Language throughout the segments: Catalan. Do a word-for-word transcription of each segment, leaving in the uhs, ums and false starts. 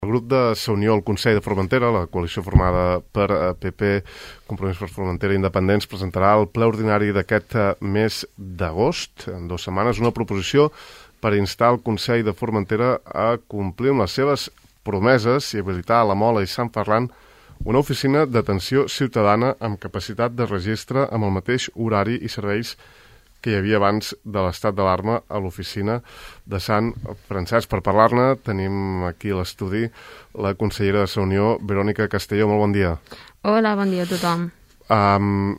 El grup de Sa Unió al Consell de Formentera, la coalició formada per P P, Compromís per Formentera i Independents, presentarà al ple ordinari d'aquest mes d'agost, en dues setmanes, una proposició per instar el Consell de Formentera a complir amb les seves promeses i habilitar a la Mola i Sant Ferran una oficina d'atenció ciutadana amb capacitat de registre amb el mateix horari i serveis que hi havia abans de l'estat d'alarma a l'oficina de Sant Francesc. Per parlar-ne tenim aquí a l'estudi la consellera de Sa Unió, Verònica Castelló. Molt bon dia. Hola, bon dia a tothom. Um,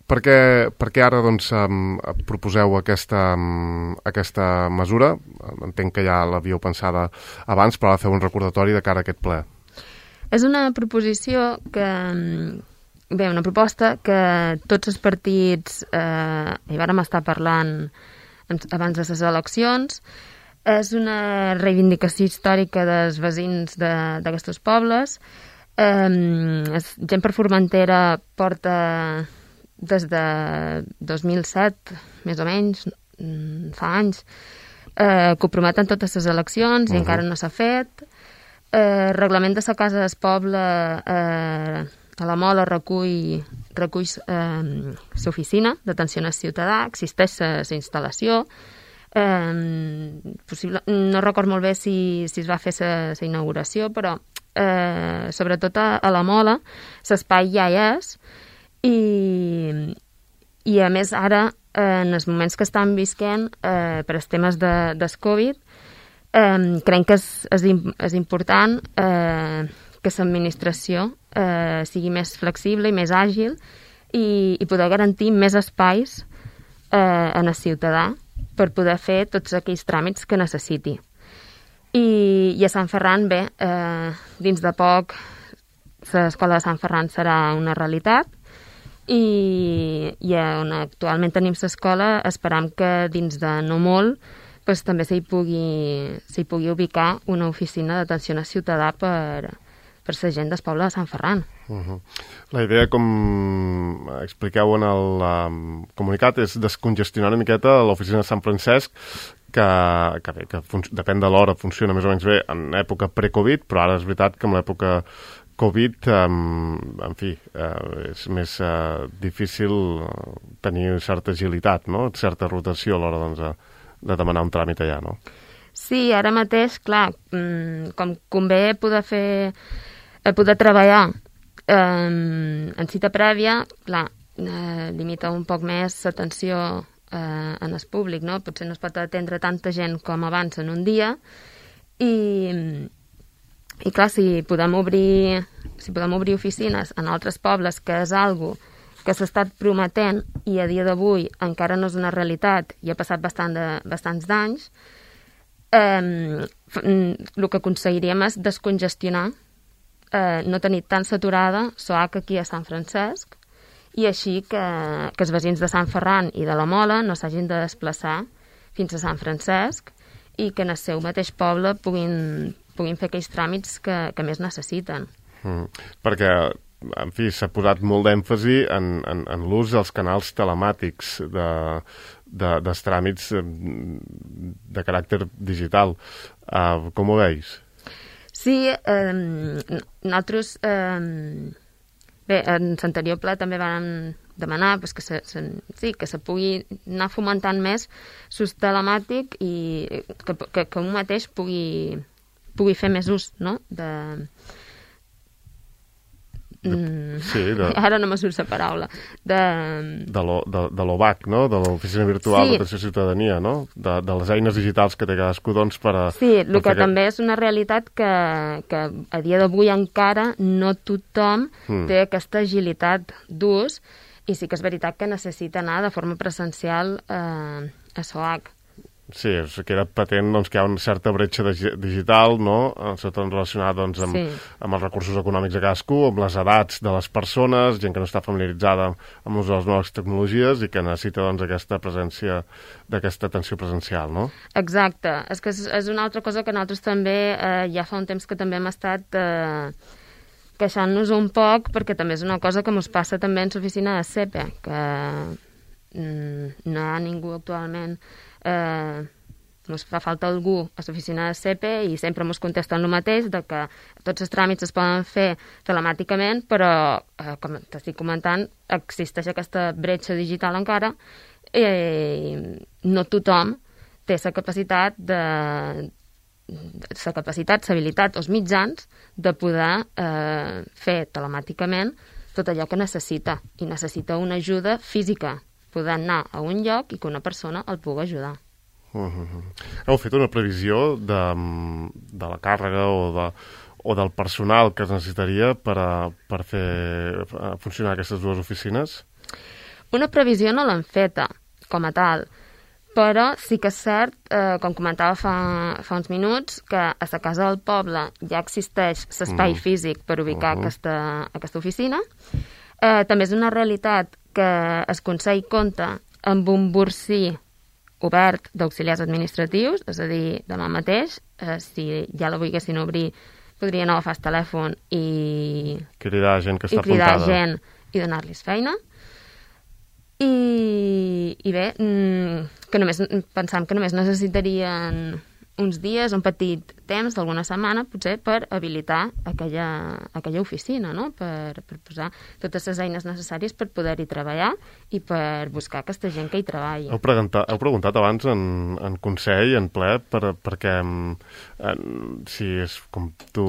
per, què, per què ara doncs, um, proposeu aquesta, um, aquesta mesura? Entenc que ja l'havíeu pensada abans, però ara feu un recordatori de cara a aquest ple. És una proposició que... Bé, una proposta que tots els partits eh, hi vàrem estar parlant abans de les eleccions. És una reivindicació històrica dels veïns d'aquests pobles. Eh, Gent per Formentera porta des de dos mil set, més o menys, fa anys, eh, que ho prometen totes les eleccions i uh-huh. encara no s'ha fet. Eh, reglament de la Casa del Poble... Eh, a la Mola recull, recull eh, l'oficina d'atenció al ciutadà, existeix la instal·lació. Eh, possible, no record molt bé si, si es va fer la inauguració, però eh, sobretot a, a la Mola l'espai ja hi és i, i a més ara, eh, en els moments que estan visquent eh, per als temes de, del Covid, eh, crec que és, és, és important eh, que l'administració eh, sigui més flexible i més àgil i, i poder garantir més espais eh, en el ciutadà per poder fer tots aquells tràmits que necessiti. I, i a Sant Ferran, bé, eh, dins de poc l'escola de Sant Ferran serà una realitat i, i on actualment tenim l'escola esperam que dins de no molt pues, també s'hi pugui, s'hi pugui ubicar una oficina d'atenció al ciutadà per per la gent del poble de Sant Ferran. Uh-huh. La idea, com expliqueu en el um, comunicat, és descongestionar una miqueta l'oficina de Sant Francesc, que, que, bé, que fun- depèn de l'hora, funciona més o menys bé en època pre-Covid, però ara és veritat que en l'època Covid, um, en fi, uh, és més uh, difícil tenir certa agilitat, no? Certa rotació a l'hora doncs, de, de demanar un tràmit allà, no? Sí, ara mateix, clar, com convé poder fer, poder treballar eh, en cita prèvia, clar, eh, limita un poc més l'atenció eh, en el públic, no? Potser no es pot atendre tanta gent com abans en un dia i, i clar, si podem obrir, si podem obrir oficines en altres pobles, que és algo que s'ha estat prometent i a dia d'avui encara no és una realitat i ha passat bastant de, bastants d'anys, Eh, el que aconseguiríem és descongestionar, eh, no tenir tan saturada l'O H aquí a Sant Francesc i així que, que els veïns de Sant Ferran i de la Mola no s'hagin de desplaçar fins a Sant Francesc i que en el seu mateix poble puguin, puguin fer aquells tràmits que, que més necessiten. Mm, perquè, en fi, s'ha posat molt d'èmfasi en, en, en l'ús dels canals telemàtics de... De, dels tràmits de caràcter digital. Uh, com ho veus? Sí, eh, nosaltres... Eh, bé, en l'anterior ple també vam demanar pues, que, se, se, sí, que se pugui anar fomentant més l'ús telemàtic i que, que, que un mateix pugui, pugui fer més ús, no?, de... De, sí, de, ara no me surt la paraula de, de l'O V A C, no? De l'Oficina Virtual sí. d'Atenció a Ciutadania, no? De, de les eines digitals que té cadascú doncs, per a... Sí, el que també és una realitat que, que a dia d'avui encara no tothom mm. té aquesta agilitat d'ús i sí que és veritat que necessita anar de forma presencial eh, a S O H. Sí, que era patent doncs, que hi ha una certa bretxa digital, no? Sobretot relacionada doncs, amb, sí. amb els recursos econòmics de cadascú, amb les edats de les persones, gent que no està familiaritzada amb l'ús de les noves tecnologies i que necessita doncs, aquesta presència d'aquesta atenció presencial, no? Exacte. És que és, és una altra cosa que nosaltres també, eh, ja fa un temps que també hem estat eh, queixant-nos un poc, perquè també és una cosa que ens passa també en l'oficina de C E P E, que mm, no hi ha ningú actualment... Eh, ens fa falta algú a l'oficina de C P i sempre ens contesten el mateix, de que tots els tràmits es poden fer telemàticament, però, eh, com t'estic comentant, existeix aquesta bretxa digital encara i no tothom té la capacitat de la capacitat, l'habilitat o els mitjans de poder eh, fer telemàticament tot allò que necessita, i necessita una ajuda física, poder anar a un lloc i que una persona el pugui ajudar. Uh -huh. Heu fet una previsió de, de la càrrega o, de, o del personal que es necessitaria per, a, per fer a funcionar aquestes dues oficines? Una previsió no l'hem feta, com a tal, però sí que és cert, eh, com comentava fa, fa uns minuts, que a la Casa del Poble ja existeix l'espai mm. físic per ubicar uh -huh. aquesta, aquesta oficina. Eh, també és una realitat que el Consell compta amb un bursí obert d'auxiliars administratius, és a dir, demà mateix, eh, si ja la volguessin obrir, podrien agafar el telèfon i cridar gent que està i cridar apuntada. gent i donar-los feina. I, i bé, que només pensam que només necessitarien uns dies, un petit temps d'alguna setmana, potser, per habilitar aquella, aquella oficina, no? Per, per posar totes les eines necessàries per poder-hi treballar i per buscar aquesta gent que hi treballi. Heu preguntat, heu preguntat abans en, en Consell, en ple, per, perquè en, si és com tu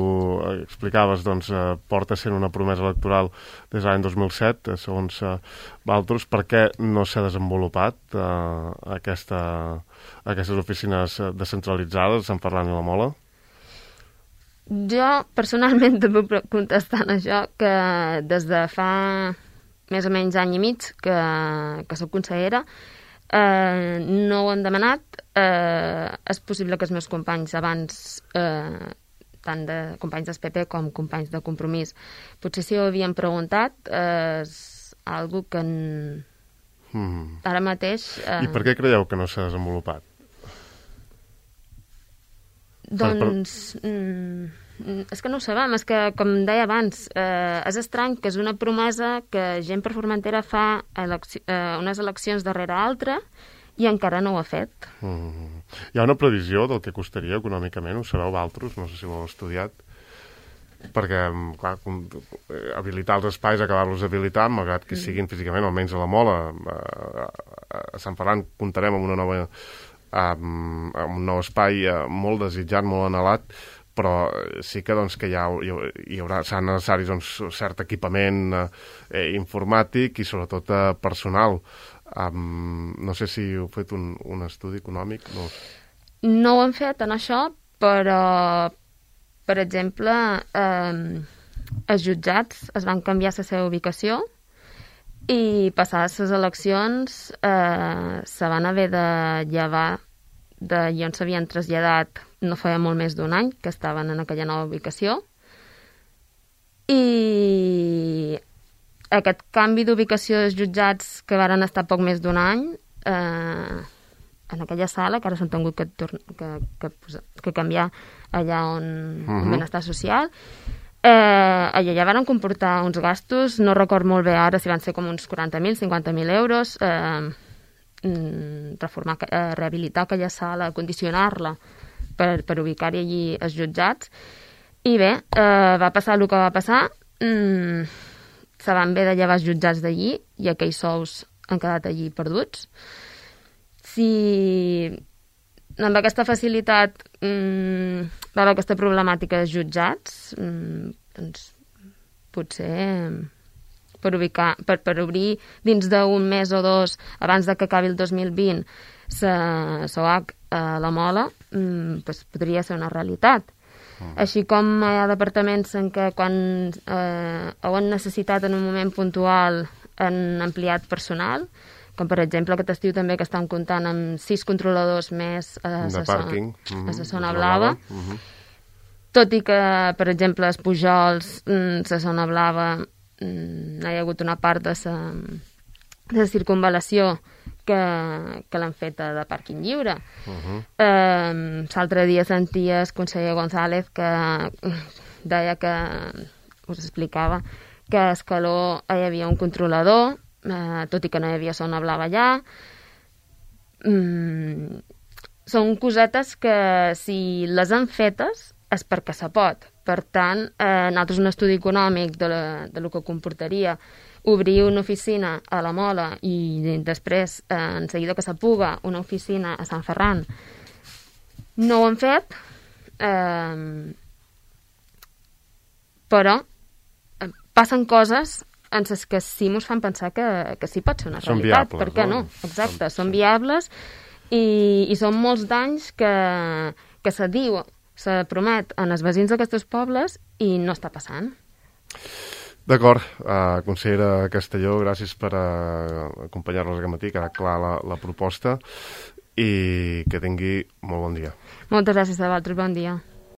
explicaves, doncs eh, porta sent una promesa electoral des de l'any dos mil set, eh, segons eh, Valtros, per què no s'ha desenvolupat eh, aquesta, aquestes oficines descentralitzades a Sant Ferran i la Mola? Jo, personalment, també puc contestar en això, que des de fa més o menys any i mig que, que soc consellera, eh, no ho han demanat. Eh, és possible que els meus companys abans, eh, tant de companys del P P com companys de Compromís, potser si ho havien preguntat, eh, és algo que en... mm. ara mateix... Eh... I per què creieu que no s'ha desenvolupat? Doncs... Per, per... Mm, és que no ho sabem, és que, com deia abans, eh, és estrany que és una promesa que gent per Formentera fa elecci eh, unes eleccions darrere altra i encara no ho ha fet. Mm. Hi ha una previsió del que costaria econòmicament, ho sabeu Valtros, no sé si ho heu estudiat, perquè, clar, habilitar els espais, acabar-los d'habilitar, malgrat que siguin físicament, almenys a la Mola, a, a Sant Ferran comptarem amb una nova amb, amb un nou espai molt desitjat, molt anhelat, però sí que, doncs, que hi, ha, hi haurà serà necessari, doncs, cert equipament eh, informàtic i sobretot eh, personal. Um, no sé si heu fet un, un estudi econòmic. No. no ho hem fet en això, però per exemple eh, els jutjats es van canviar la seva ubicació i passades les eleccions eh, se van haver de llevar d'allà on s'havien traslladat no feia molt més d'un any, que estaven en aquella nova ubicació. I aquest canvi d'ubicació dels jutjats que varen estar poc més d'un any eh, en aquella sala, que ara s'han tingut que, que, que, que canviar allà on uh-huh. benestar social, eh, allà ja van comportar uns gastos, no record molt bé ara si van ser com uns quaranta mil, cinquanta mil euros, eh, reformar, eh, rehabilitar aquella sala, condicionar-la per, per ubicar-hi allí els jutjats. I bé, eh, va passar el que va passar, mm, se van haver de llevar els jutjats d'allí i aquells sous han quedat allí perduts. Si amb aquesta facilitat mm, va haver aquesta problemàtica dels jutjats, mm, doncs potser per ubicar, per, per obrir dins d'un mes o dos abans de que acabi el dos mil vint la S O A C a la Mola, mm, doncs podria ser una realitat. Mm. Així com hi ha departaments en què quan eh, ho han necessitat en un moment puntual han ampliat personal, com per exemple aquest estiu també que estan comptant amb sis controladors més a la pàrquing, zona, mm-hmm. zona blava. Mm-hmm. Tot i que, per exemple, els Pujols, la zona blava, hi ha hagut una part de la, de la circunvalació que, que l'han feta de pàrquing lliure. Uh-huh. Eh, l'altre dia sentia el conseller González que deia que, us explicava, que a Escaló hi havia un controlador, eh, tot i que no hi havia zona blava allà. Mm, són cosetes que si les han fetes és perquè se pot. Per tant, eh, nosaltres un estudi econòmic de, la, de lo que comportaria obrir una oficina a la Mola i després, eh, en seguida que s'apuga, una oficina a Sant Ferran, no ho han fet, eh, però eh, passen coses en les que sí ens fan pensar que, que sí pot ser una són realitat. viables, per què no? no? Exacte, Són, són sí. viables i, i són molts d'anys que, que se diu, se promet en els veïns d'aquests pobles i no està passant. D'acord, uh, consellera Castelló, gràcies per uh, acompanyar-nos aquest matí, queda clar la, la proposta i que tingui molt bon dia. Moltes gràcies a vosaltres, bon dia.